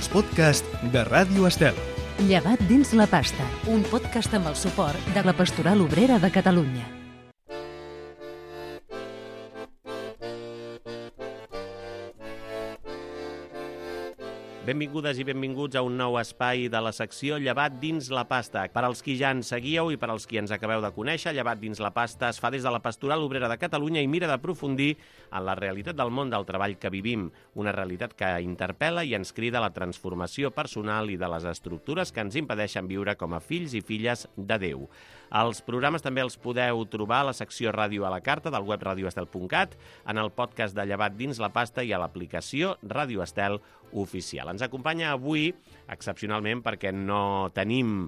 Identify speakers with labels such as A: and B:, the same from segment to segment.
A: els podcasts de Ràdio Estel.
B: Llevat dins la pasta, un podcast amb el suport de la Pastoral Obrera de Catalunya.
C: Benvingudes i benvinguts a un nou espai de la secció Llevat dins la pasta. Per als qui ja ens seguíeu i per als qui ens acabeu de conèixer, Llevat dins la pasta es fa des de la Pastoral Obrera de Catalunya i mira d'aprofundir en la realitat del món del treball que vivim, una realitat que interpel·la i ens crida a la transformació personal i de les estructures que ens impedeixen viure com a fills i filles de Déu. Els programes també els podeu trobar a la secció Ràdio a la Carta del web radioestel.cat, en el podcast de Llevat dins la pasta i a l'aplicació Ràdio Estel oficial. Ens acompanya avui, excepcionalment, perquè no tenim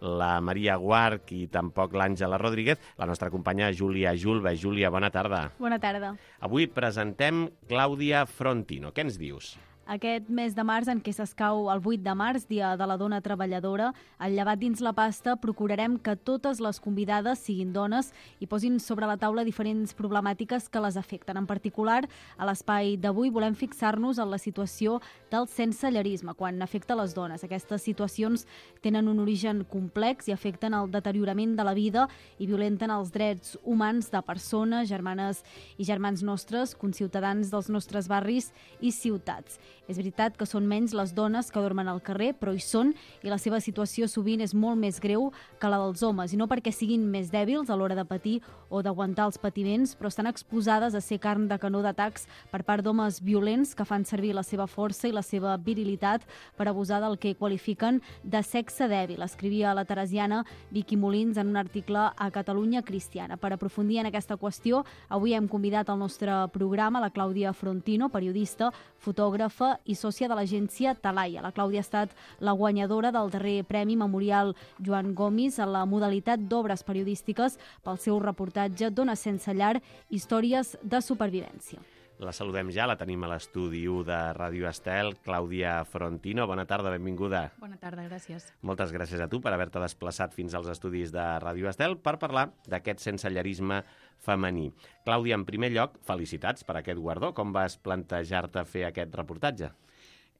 C: la Maria Guarch i tampoc l'Àngela Rodríguez, la nostra companya Júlia Julve. Júlia, bona tarda.
D: Bona tarda.
C: Avui presentem Clàudia Frontino. Què ens dius?
D: Aquest mes de març, en què s'escau el 8 de març, Dia de la Dona Treballadora, al Llevat dins la pasta procurarem que totes les convidades siguin dones i posin sobre la taula diferents problemàtiques que les afecten. En particular, a l'espai d'avui volem fixar-nos en la situació del sensellarisme, quan afecta les dones. Aquestes situacions tenen un origen complex i afecten el deteriorament de la vida i violenten els drets humans de persones, germanes i germans nostres, conciutadans dels nostres barris i ciutats. És veritat que són menys les dones que dormen al carrer, però hi són, i la seva situació sovint és molt més greu que la dels homes, i no perquè siguin més dèbils a l'hora de patir o d'aguantar els patiments, però estan exposades a ser carn de canó d'atacs per part d'homes violents que fan servir la seva força i la seva virilitat per abusar del que qualifiquen de sexe dèbil. Escrivia la teresiana Vicky Molins en un article a Catalunya Cristiana. Per aprofundir en aquesta qüestió, avui hem convidat al nostre programa la Clàudia Frontino, periodista, fotògrafa i sòcia de l'agència Talaia. La Clàudia ha estat la guanyadora del darrer Premi Memorial Joan Gomis a la modalitat d'obres periodístiques pel seu reportatge Dones sense llar, històries de supervivència.
C: La saludem ja, la tenim a l'estudi 1 de Ràdio Estel, Clàudia Frontino. Bona tarda, benvinguda.
D: Bona tarda, gràcies.
C: Moltes gràcies a tu per haver-te desplaçat fins als estudis de Ràdio Estel per parlar d'aquest sensellarisme femení. Clàudia, en primer lloc, felicitats per aquest guardó. Com vas plantejar-te fer aquest reportatge?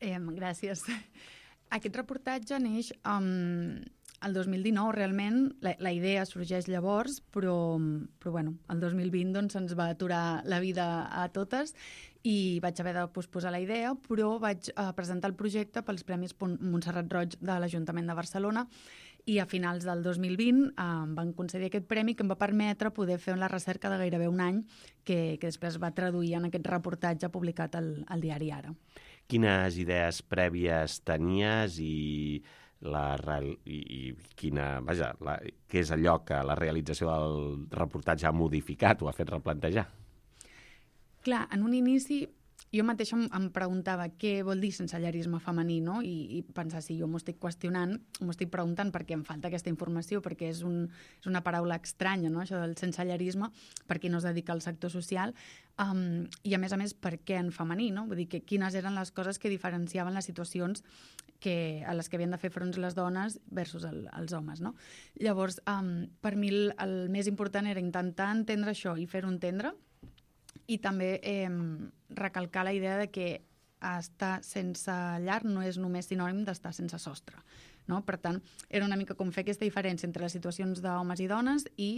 E: Gràcies. Aquest reportatge neix el 2019, realment. La idea sorgeix llavors, però bueno, el 2020 doncs, ens va aturar la vida a totes i vaig haver de posposar la idea, però vaig presentar el projecte pels Premis Montserrat Roig de l'Ajuntament de Barcelona i a finals del 2020 em van concedir aquest premi que em va permetre poder fer la recerca de gairebé un any que després va traduir en aquest reportatge publicat al diari Ara.
C: Quines idees prèvies tenies i què és allò que la realització del reportatge ha modificat o ha fet replantejar?
E: Clar, en un inici jo mateixa em preguntava què vol dir sensellarisme femení, no? I pensar si jo m'ho estic qüestionant, m'ho estic preguntant perquè em falta aquesta informació, perquè és una paraula estranya, no? Això del sensellarisme, per qui no es dedica al sector social, i a més, per què en femení, no? Vull dir, quines eren les coses que diferenciaven les situacions a les que havien de fer front les dones versus els homes, no? Llavors, per mi el més important era intentar entendre això i fer-ho entendre, i també recalcar la idea de que estar sense llar no és només sinònim d'estar sense sostre, no? Per tant, era una mica com fer aquesta diferència entre les situacions d'homes i dones i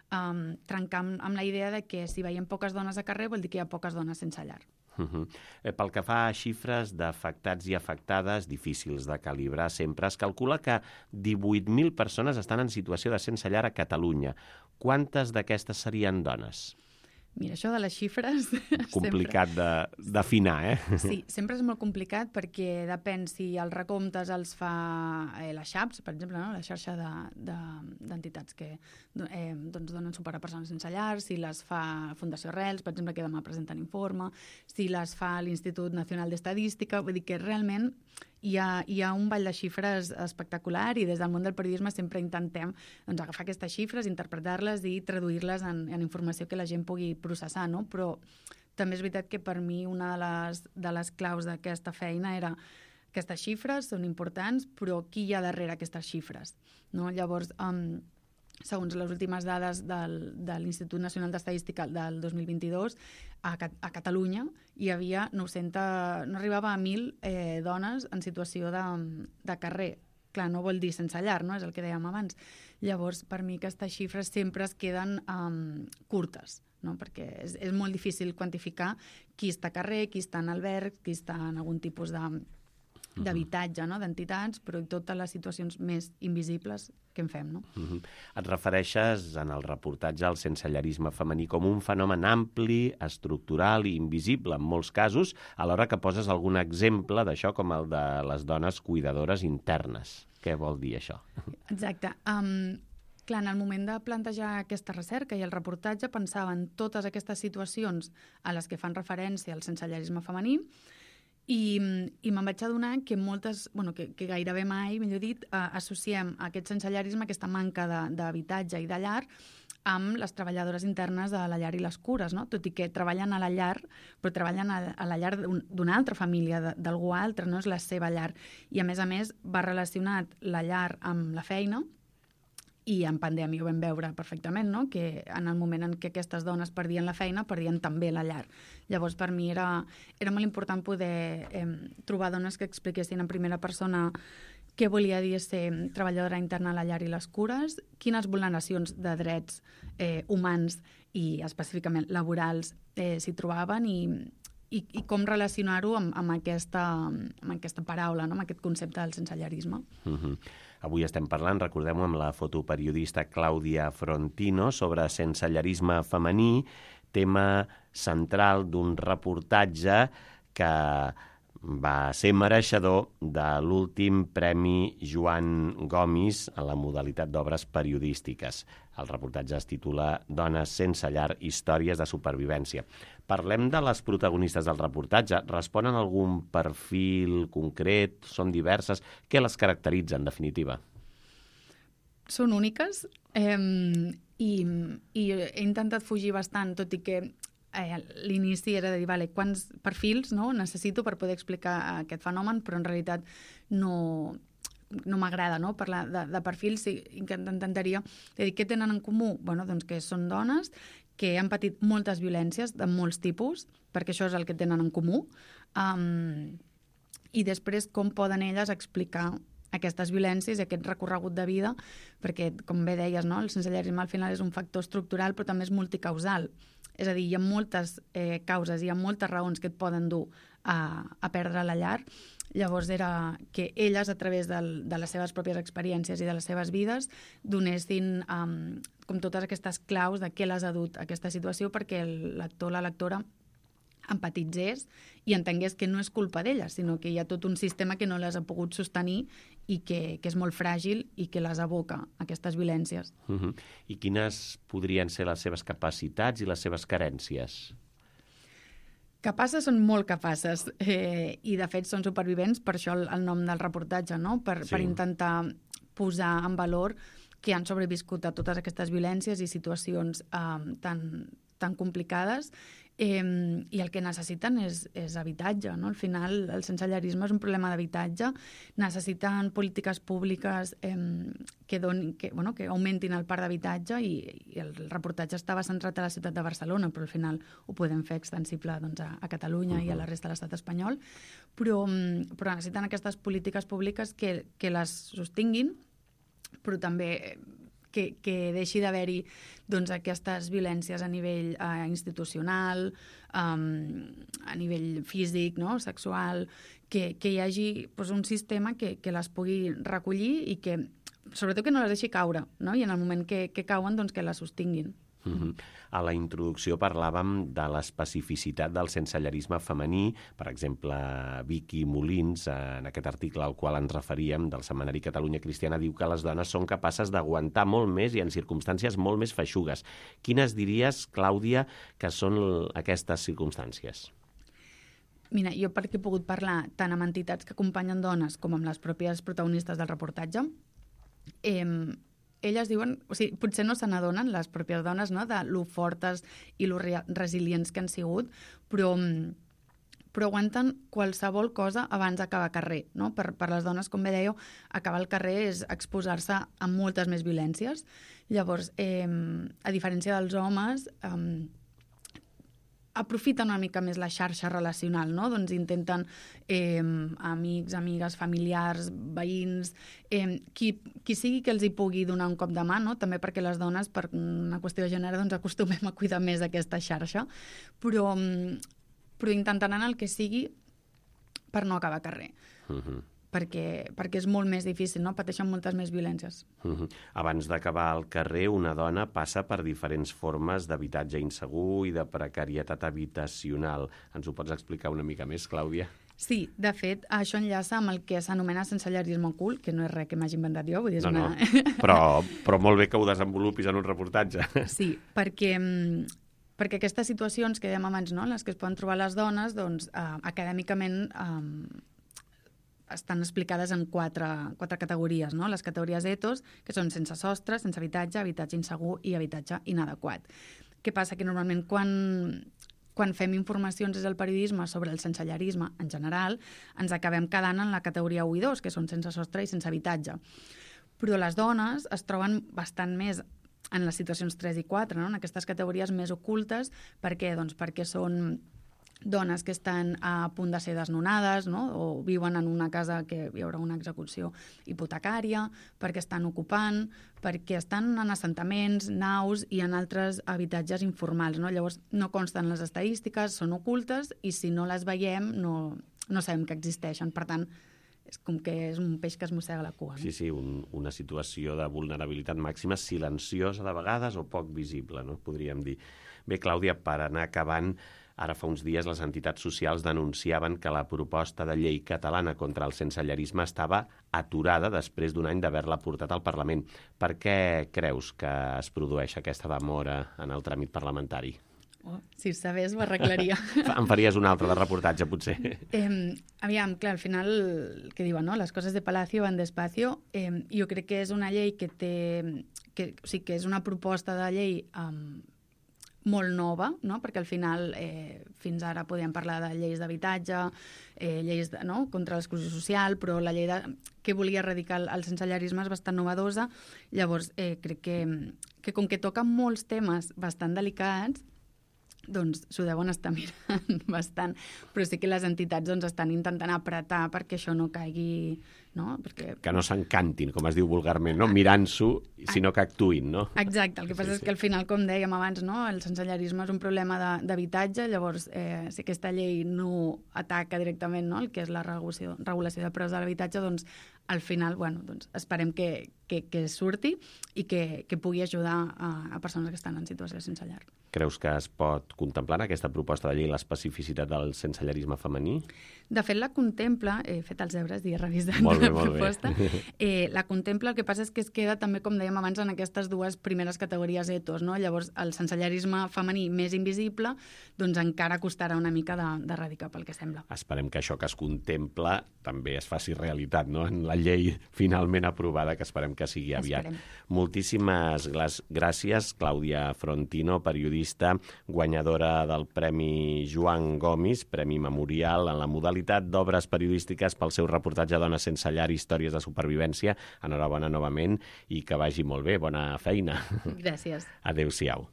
E: trencar amb la idea de que si veiem poques dones a carrer vol dir que hi ha poques dones sense llar.
C: Pel que fa a xifres d'afectats i afectades difícils de calibrar sempre, es calcula que 18.000 persones estan en situació de sense llar a Catalunya. Quantes d'aquestes serien dones?
E: Mira, això de les xifres...
C: Complicat d'afinar, eh?
E: Sí, sempre és molt complicat perquè depèn si els recomptes els fa la XAPS, per exemple, no? La xarxa d'entitats que donen suport a persones sense llar, si les fa Fundació Arrels, per exemple, que demà presenten informe, si les fa l'Institut Nacional d'Estadística, vull dir que realment hi ha un ball de xifres espectacular i des del món del periodisme sempre intentem agafar aquestes xifres, interpretar-les i traduir-les en informació que la gent pugui processar, no? Però també és veritat que per mi una de les claus d'aquesta feina era aquestes xifres són importants, però qui hi ha darrere aquestes xifres, no? Llavors, segons les últimes dades de l'Institut Nacional d'Estadística del 2022, a Catalunya hi havia 900, no arribava a 1.000 dones en situació de carrer. Clar, no vol dir sense llar, no? És el que dèiem abans. Llavors, per mi aquestes xifres sempre es queden curtes, no? Perquè és molt difícil quantificar qui està a carrer, qui està en alberg, qui està en algun tipus d'habitatge, no? D'entitats, però totes les situacions més invisibles que en fem, no?
C: Et refereixes en el reportatge al sensellarisme femení com un fenomen ampli, estructural i invisible en molts casos, alhora que poses algun exemple d'això com el de les dones cuidadores internes. Què vol dir això?
E: Exacte. Clar, en el moment de plantejar aquesta recerca i el reportatge pensava en totes aquestes situacions a les que fan referència al sensellarisme femení i me'n vaig adonar que moltes, que gairebé mai, millor dit, associem aquest sensellarisme, aquesta manca d'habitatge i de llar, amb les treballadores internes de la llar i les cures, no? Tot i que treballen a la llar, però treballen a la llar d'una altra família, d'algú altre, no és la seva llar. I a més va relacionat la llar amb la feina, i en pandèmia ho vam veure perfectament, no? Que en el moment en què aquestes dones perdien la feina, perdien també la llar. Llavors, per mi era molt important poder trobar dones que expliquessin en primera persona què volia dir ser treballadora interna a la llar i les cures, quines vulneracions de drets humans i específicament laborals s'hi trobaven i com relacionar-ho amb aquesta paraula, no? Amb aquest concepte del sensellarisme.
C: Avui estem parlant, recordem-ho, amb la fotoperiodista Clàudia Frontino sobre sensellarisme femení, tema central d'un reportatge que va ser mereixedor de l'últim Premi Joan Gomis a la modalitat d'obres periodístiques. El reportatge es titula Dones sense llar, històries de supervivència. Parlem de les protagonistes del reportatge. Responen a algun perfil concret? Són diverses? Què les caracteritza, en definitiva?
E: Són úniques i he intentat fugir bastant, tot i que l'inici era de dir, vale, quants perfils necessito per poder explicar aquest fenomen, però en realitat no m'agrada parlar de perfils, i que intentaria dir què tenen en comú? Doncs que són dones que han patit moltes violències de molts tipus, perquè això és el que tenen en comú, i després com poden elles explicar aquestes violències i aquest recorregut de vida, perquè, com bé deies, el sensellarisme al final és un factor estructural, però també és multicausal. És a dir, hi ha moltes causes, hi ha moltes raons que et poden dur a perdre la llar. Llavors era que elles, a través de les seves pròpies experiències i de les seves vides, donessin com totes aquestes claus de què les ha dut a aquesta situació, perquè el lector o la lectora empatitzés i entengués que no és culpa d'elles, sinó que hi ha tot un sistema que no les ha pogut sostenir i que és molt fràgil i que les aboca a aquestes violències.
C: I quines podrien ser les seves capacitats i les seves carències?
E: Capaces són molt capaces i de fet són supervivents, per això el nom del reportatge, no? Per intentar posar en valor que han sobreviscut a totes aquestes violències i situacions tan complicades, i el que necessiten és habitatge, no? Al final el sensellarisme és un problema d'habitatge, necessiten polítiques públiques que augmentin el parc d'habitatge, i el reportatge estava centrat a la ciutat de Barcelona, però al final ho podem fer extensible a Catalunya i a la resta de l'estat espanyol, però necessiten aquestes polítiques públiques que les sostinguin, però també que deixi d'haver-hi aquestes violències a nivell institucional, a nivell físic, sexual, que hi hagi un sistema que les pugui recollir i que, sobretot, que no les deixi caure, no? I en el moment que cauen, que les sostinguin.
C: A la introducció parlàvem de l'especificitat del sensellarisme femení. Per exemple, Vicky Molins, en aquest article al qual ens referíem del setmanari Catalunya Cristiana, diu que les dones són capaces d'aguantar molt més i en circumstàncies molt més feixugues. Quines diries, Clàudia, que són aquestes circumstàncies?
E: Mira, jo perquè he pogut parlar tant amb entitats que acompanyen dones com amb les pròpies protagonistes del reportatge, elles diuen, potser no se n'adonen, les pròpies dones, de lo fortes i lo resilients que han sigut, però però aguanten qualsevol cosa abans d'acabar carrer, no? Per les dones, com bé dèieu, acabar al carrer és exposar-se a moltes més violències. Llavors, a diferència dels homes, aprofiten una mica més la xarxa relacional, no? Doncs intenten amics, amigues, familiars, veïns, qui sigui que els hi pugui donar un cop de mà, no? També perquè les dones, per una qüestió de gènere, doncs acostumem a cuidar més aquesta xarxa, però intentaran el que sigui per no acabar carrer. Perquè és molt més difícil, no? Pateixen moltes més violències.
C: Abans d'acabar al carrer, una dona passa per diferents formes d'habitatge insegur i de precarietat habitacional. Ens ho pots explicar una mica més, Clàudia?
E: Sí, de fet, això enllaça amb el que s'anomena sensellarisme ocult, que no és res que m'hagi inventat jo, vull dir, és
C: no. Però molt bé que ho desenvolupis en un reportatge.
E: Sí, perquè aquestes situacions que dèiem abans, no?, en les que es poden trobar les dones, doncs, acadèmicament estan explicades en quatre categories, no? Les categories ETOS, que són sense sostre, sense habitatge, habitatge insegur i habitatge inadequat. Què passa? Que normalment quan fem informacions des del periodisme sobre el sensellarisme en general, ens acabem quedant en la categoria 1 i 2, que són sense sostre i sense habitatge. Però les dones es troben bastant més en les situacions 3 i 4, no? En aquestes categories més ocultes. Per què? Doncs perquè són dones que estan a punt de ser desnonades, no? O viuen en una casa que hi haurà una execució hipotecària, perquè estan ocupant, perquè estan en assentaments, naus i en altres habitatges informals, no? Llavors no consten les estadístiques, són ocultes i si no les veiem no sabem que existeixen. Per tant, és com que és un peix que es mossega la cua. No?
C: Sí, una situació de vulnerabilitat màxima, silenciosa de vegades o poc visible, no? Podríem dir. Bé, Clàudia, per anar acabant, ara fa uns dies les entitats socials denunciaven que la proposta de llei catalana contra el sensellarisme estava aturada després d'un any d'haver-la portat al Parlament. Per què creus que es produeix aquesta demora en el tràmit parlamentari?
E: Oh, si ho sabés, ho arreglaria.
C: Em faries un altre de reportatge, potser.
E: Aviam, clar, al final, què diuen, no? Les coses de Palacio van despacio. Jo crec que és una llei que és una proposta de llei molt nova, no? Perquè al final fins ara podíem parlar de lleis d'habitatge, lleis contra l'exclusió social, però la llei que volia erradicar el sensellarisme és bastant novedosa. Llavors, crec que com que toca molts temes bastant delicats, doncs s'ho deuen estar mirant bastant, però sí que les entitats doncs, estan intentant apretar perquè això no caigui, no? Perquè... Que
C: no s'encantin, com es diu vulgarment, no? Mirant-s'ho, sinó que actuïn, no?
E: Exacte, el que passa és que al final, com dèiem abans, no? El sensellarisme és un problema d'habitatge, llavors si aquesta llei no ataca directament, no? El que és la regulació de preus de l'habitatge, doncs al final, bueno, doncs esperem que surti i que pugui ajudar a persones que estan en situació sense llar.
C: Creus que es pot contemplar en aquesta proposta de llei l'especificitat del sensellarisme femení?
E: De fet, la contempla, he fet els deures i he revisat la proposta, la contempla, el que passa és que es queda també, com dèiem abans, en aquestes dues primeres categories etos, no? Llavors, el sensellarisme femení més invisible, doncs encara costarà una mica d'erradicar, pel que sembla.
C: Esperem que això que es contempla també es faci realitat, no? En la llei finalment aprovada, que esperem que sigui aviat. Moltíssimes gràcies, Clàudia Frontino, periodista, guanyadora del Premi Joan Gomis, Premi Memorial en la modalitat d'obres periodístiques pel seu reportatge Dones sense llar, històries de supervivència. Enhorabona novament i que vagi molt bé. Bona feina.
E: Gràcies.
C: Adéu-siau.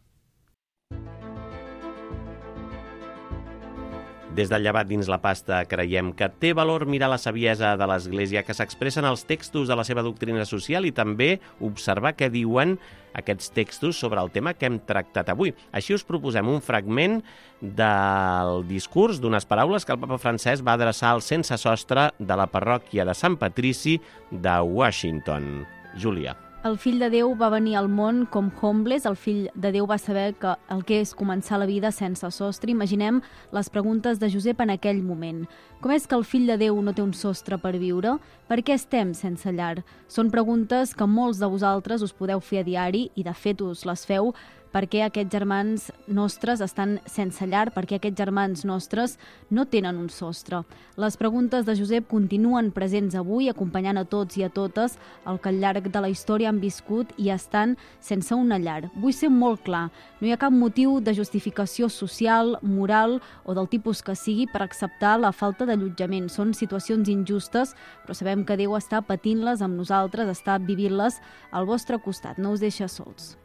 C: Des del Llevat dins la pasta creiem que té valor mirar la saviesa de l'Església que s'expressa en els textos de la seva doctrina social i també observar què diuen aquests textos sobre el tema que hem tractat avui. Així us proposem un fragment del discurs d'unes paraules que el papa Francesc va adreçar al sense sostre de la parròquia de Sant Patrici de Washington. Júlia.
D: El fill de Déu va venir al món com homeless, el fill de Déu va saber que el que és començar la vida sense sostre. Imaginem les preguntes de Josep en aquell moment. Com és que el fill de Déu no té un sostre per viure? Per què estem sense llar? Són preguntes que molts de vosaltres us podeu fer a diari i de fet us les feu per què aquests germans nostres estan sense llar, per què aquests germans nostres no tenen un sostre. Les preguntes de Josep continuen presents avui, acompanyant a tots i a totes el que al llarg de la història han viscut i estan sense una llar. Vull ser molt clar, no hi ha cap motiu de justificació social, moral o del tipus que sigui per acceptar la falta d'allotjament. Són situacions injustes, però sabem que Déu està patint-les amb nosaltres, està vivint-les al vostre costat, no us deixa sols.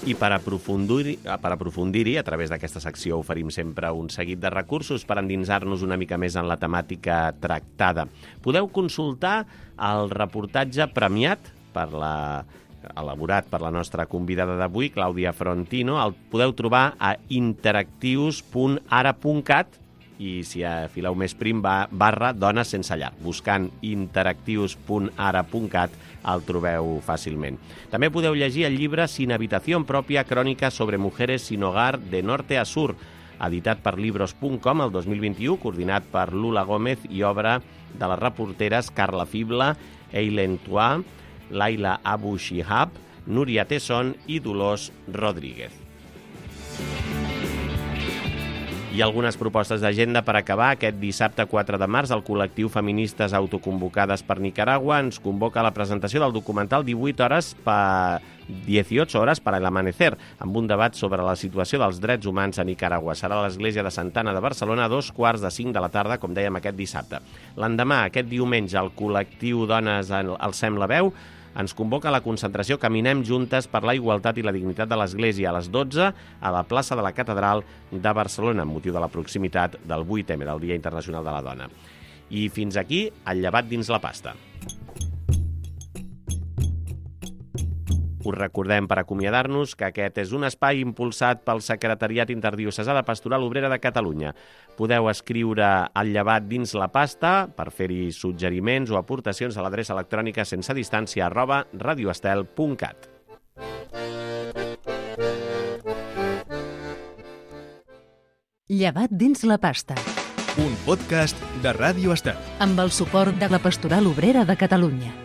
C: I per aprofundir-hi, a través d'aquesta secció oferim sempre un seguit de recursos per endinsar-nos una mica més en la temàtica tractada. Podeu consultar el reportatge premiat elaborat per la nostra convidada d'avui, Clàudia Frontino. El podeu trobar a interactius.ara.cat i si afileu més prim /dones sense llar. Buscant interactius.ara.cat el trobeu fàcilment. També podeu llegir el llibre Sin habitación propia, crònica sobre mujeres sin hogar de norte a sur, editat per libros.com el 2021, coordinat per Lula Gómez i obra de les reporteres Carla Fibla, Eileen Tua, Laila Abu Shihab, Núria Tesson i Dolors Rodríguez. I algunes propostes d'agenda per acabar. Aquest dissabte 4 de març, el col·lectiu Feministes Autoconvocades per Nicaragua ens convoca a la presentació del documental 18 horas para el amanecer, amb un debat sobre la situació dels drets humans a Nicaragua. Serà a l'Església de Santa Anna de Barcelona a 4:45 de la tarda, com dèiem, aquest dissabte. L'endemà, aquest diumenge, el col·lectiu Dones Alcem la veu ens convoca a la concentració Caminem juntes per la igualtat i la dignitat de l'Església a les 12 a la plaça de la Catedral de Barcelona, amb motiu de la proximitat del 8M, del Dia Internacional de la Dona. I fins aquí, el llevat dins la pasta. Us recordem, per acomiadar-nos, que aquest és un espai impulsat pel Secretariat Interdiocesà de Pastoral Obrera de Catalunya. Podeu escriure el llevat dins la pasta per fer-hi suggeriments o aportacions a l'adreça electrònica sensedistància@radioestel.cat.
B: Llevat dins la pasta.
A: Un podcast de Ràdio Estel.
B: Amb el suport de la Pastoral Obrera de Catalunya.